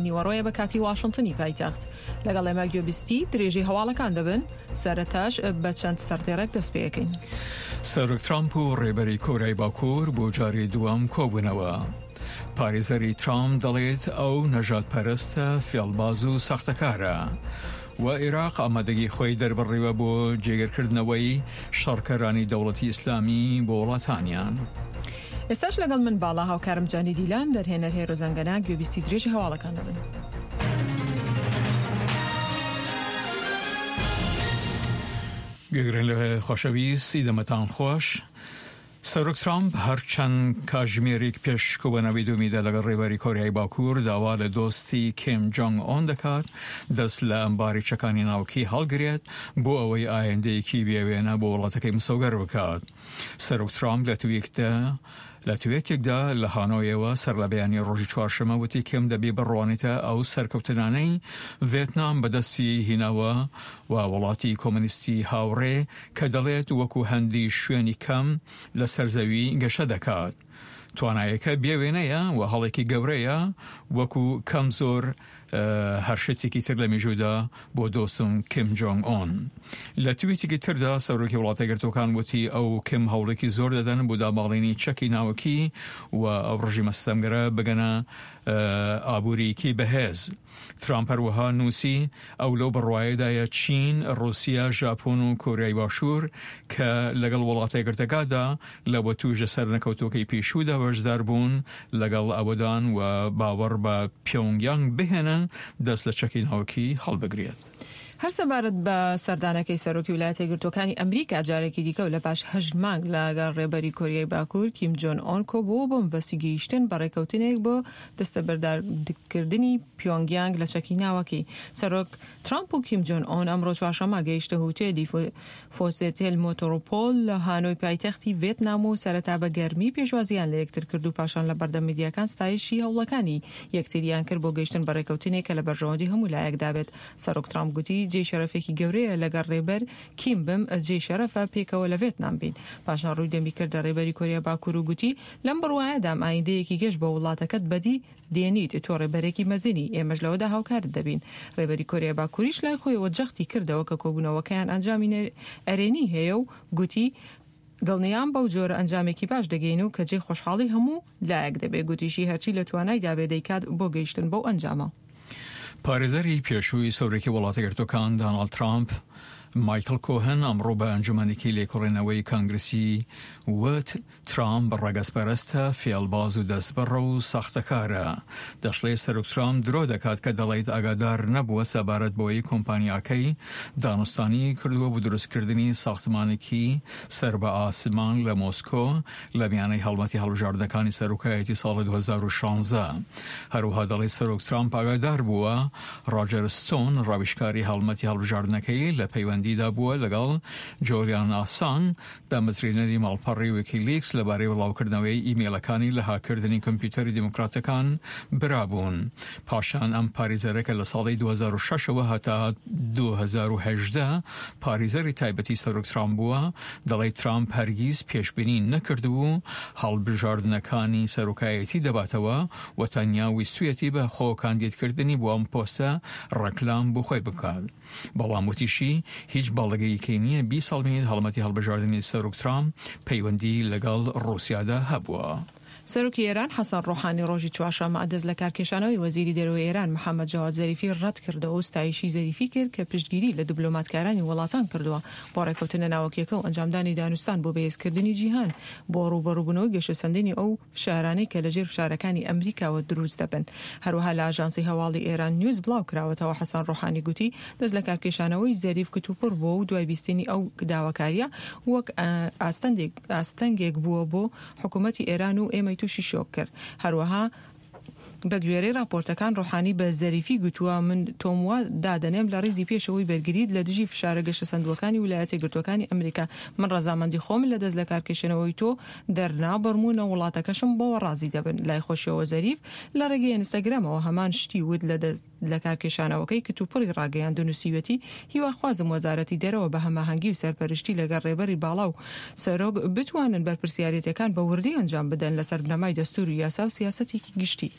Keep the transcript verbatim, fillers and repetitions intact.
نیوەڕۆیە بە کاتی واشنتنی پایتەخت. لەگەڵ ئێمە گوێبیستی درێژی هەواڵەکان دەبن، سەرەتاش بە چەند سەردێڕێک دەست پێەکەین. سەرۆک ترامپ و ڕێبەری کۆریای باکوور بۆ جاری دووەم کۆبوونەوە. پارێزەری ترامپ دەڵێت ئەو نەژادپەرستە، فێڵباز و ساختەکارە. و عێراق ئامادەگی خۆی دەربڕیوە بۆ جێگرکردنەوەی شەڕکەرانی دەوڵەتی ئیسلامی بۆ وڵاتانیان. ئێستاش لەگەڵ من باڵا هاوکارم جانی دیلان، دەرهێنەر هێرۆ زەنگەنە، گوێبیستی درێژی هەواڵەکان دەبن. گوێگرن لە خۆشەویست، دەمەتان خۆش. سەرۆک ترامپ هەرچەند کاژمێرێک پێش کۆبوونەوەی دوومیدا لەگەڵ ڕێبەری کۆریای باکوور داوا لە دۆستی کیم جۆنگ ئۆن دەکات دەست لە ئەمباری چەکانی ناوکی هەڵگرێت بۆ ئەوەی ئایندەیەکی بێوێنە بۆ وڵاتەکەی مسۆگەر بکات. سەرۆک ترامپ لە تویتێکدا لە تویتێکدا لە هانۆیەوە سەر لە بەیانی ڕۆژی چوارشەممە وتی کیم دەبێ بڕوانێتە ئەو سەرکەوتنانەی ڤێتنام بەدەستی هیناوە و وڵاتی کۆمۆنیستی هاوڕێ کە دەڵێت وەکو هەندی شوێنی کەم لەسەر زەوی گەشە دەکات. توانایەکە بێوێنەیە و هەڵێکی گەورەیە وەکو کەم زۆر هەر شتێکی تر لە مێژوودا بۆ دۆستم کیم جۆنگ ئۆن. لە تویتێکی تردا سەرۆکی وڵاتە یەکگرتووەکان وتی ئەو کیم هەوڵێکی زۆر دەدەن بۆ داماڵینی چەکی ناوەکی و ئەو ڕژیمە ستەمگەرە بگەنە ئابووریکی بەهێز. ترامپ هەروەها نووسی ئەو لەو بڕوایەدایە چین، ڕوسیا، ژاپۆن و کۆریای باشوور کە لەگەڵ وڵاتە یەکگرتووەکاندا لە وەتووژە سەرنەکەوتووەکەی پێشوودا بەشدار بوون لەگەڵ ئەوەدان و باوەڕ بە پیۆنگیانگ بهێنن دەست لە چەکی ناوکی هەڵبگرێت. هەر سەبارەت بە سەردانەکەی سەرۆکی ویلایەتە یەکگرتووەکانی ئەمریکا جارێکی دیکە و لە پاش هەشت مانگ لەگەڵ ڕێبەری کۆریای باکوور کیم جۆن ئۆن کۆبووە بۆ مەبەستی گەیشتن بە ڕێککەوتنێک بۆ دەستەبەردارکردنی پیۆنگیانگ لە چەکی ناوەکی. سەرۆک ترامپ و کیم جۆن ئۆن ئەمڕۆ چوارشەممە گەیشتە هوتێلی فۆسێتێل مۆتۆرۆپۆل لە هانۆی پایتەختی ڤێتنام و سەرەتا بە گەرمی پێشوازیان لە یەکتر کرد و پاشان لە بەردەم میدیاکان ستایشی هەوڵەکانی یەکتریان کرد بۆ گەیشتن بە ڕێککەوتنێک کە لە بەرژەوەندی هەموو لایەکدا بێت. سەرۆک ترامپ گوتی جێی شەرەفێکی گەورەیە لەگەڵ ڕێبەر کیم بم، جێی شەرەفە پێکەوە لە ڤێتنام بین. پاشان ڕووی دەمی کردە ڕێبەری کۆریا باکوور و گوتی لەم بڕوایەدام ئایندەیەکی گەش بۆ وڵاتەکەت بەدی دێنیت، تۆ ڕێبەرێکی مەزنی، ئێمەش لەوەدا هاوکارت دەبین. ڕێبەری کۆریا باکووریش لای خۆیەوە جەختی کردەوە کە کۆبوونەوەکەیان ئەنجامی ئەرێنی هەیە و گوتی دڵنیام بەو جۆرە ئەنجامێکی باش دەگەین و کە جێی خۆشحاڵی هەموو لایەک دەبێت. گوتیشی هەرچی لە توانایدا بێ دەیکات بۆ گەیشتن بەو ئەنجامە. پارێزەری پێشووی سەرۆکی وڵاتە یەکگرتووەکان داناڵد ترامپ مایکل کۆهن ئەمڕۆ بە ئەنجومەنێکی لێکۆڵینەوەی کانگرسی وت ترامپ ڕەگەزپەرستە، فێڵباز و دەستبڕە و ساختەکارە. دەشڵێ سەرۆک ترامپ درۆ دەکات کە دەڵێت ئاگادار نەبووە سەبارەت بەوەی کۆمپانیاکەی دانوستانی کردووە بۆ دروستکردنی ساختمانێکی سەر بە ئاسمان لە مۆسکۆ لە میانەی هەڵمەتی هەڵبژاردنەکانی سەرۆکایەتی ساڵی دوو هەزار و شانزە. هەروەها دەڵێت سەرۆک ترامپ ئاگادار بووە ڕۆجەر ستۆن ڕاویشکاری هەڵمەتی هەڵبژاردنەکەی لە پەیوەندیدا بووە لەگەڵ جۆلیان ئاسان دامەزرێنەری ماڵپەڕی ویکیلیکس لەبارەی بڵاوکردنەوەی ئیمەیڵەکانی لە هاککردنی کۆمپیوتەری دیموکراتەکان برابوون. پاشان ئەم پاریزەرە کە لە ساڵی دوو هەزار و شەش ەوە هەتا دوو هەزار و هەژدە پاریزەری تایبەتی سەرۆک ترامپ بووە، دەڵێت ترامپ هەرگیز پێشبینی نەکردبوو هەڵبژاردنەکانی سەرۆکایەتی دەباتەوە و تەنیا ویستویەتی بە خۆ کاندیدکردنی بۆ ئەم پۆستە ڕێکلام بۆ خۆی بکات. بەڵام وتیشی هیچ بەڵگەیەکی نییە بیسەلمێنێت هەڵمەتی هەڵبژاردنی سەرۆک ترامپ پەیوەندی لەگەڵ ڕووسیادا هەبووە. سەرۆکی ئێران حەسەن ڕۆحانی ڕۆژی چوارشەممە دەست لە کارکێشانەوەی وەزیری دەرەوەی ئێران محەممەد جەواد زەریفی ڕەت کردەوە و ستایشی زەریفی کرد کە پشتگیری لە دیبلۆماتکارانی وڵاتان کردووە بۆ ڕێککەوتنە ناوەکیەکە و ئەنجامدانی دانوستان بۆ بەهێزکردنی جیهان بۆ ڕووبەڕووبوونەوەی گەشەسەندنی ئەو فشارانەی کە لەژێر فشارەکانی ئەمریکاوە دروست دەبن. هەروەها لە ئاژانسی هەواڵی ئێران نیوز بڵاو کراوەتەوە حەسەن ڕۆحانی گوتی دەست لە کارکێشانەوەی زەریف کتوپڕ بووە و دوای بیستنی ئەو داواکاریە وەک ئاستەنگێک بووە بۆ حکوومەتی ئێران و ئێمەی تووشی شۆک کرد. هەروەها بەگوێرەی راپۆرتەکان ڕۆحانی بە زەریفی گوتووە من تۆم وا دادەنێم لە ڕیزی پێشەوەی بەرگریت لە دژی فشارە گەشەسەندووەکانی ویلایەتە یەکگرتووەکانی ئەمریکا، من ڕەزامەندی خۆم لە دەست لەکارکێشانەوەی تۆ دەرنابڕم و نە وڵاتەکەشم بەوە ڕازی دەبن. لای خۆشیەوە زەریف لە ڕێگەی ئینستاگرامەوە هەمان شتی وت لە دەست لەکارکێشانەوەکەی کتوپڕی ڕاگەیاند و نووسیویەتی هیواخوازم وەزارەتی دەرەوە بە هەماهەنگی و سەرپەرشتی لەگەڵ ڕێبەری باڵا و سەرۆک بتوانن بەرپرسیارێتیەکان بە وردی ئەنجام بدەن لەسەر بنەمای دەستور و یاسا و سیاسەتێکی گشتی.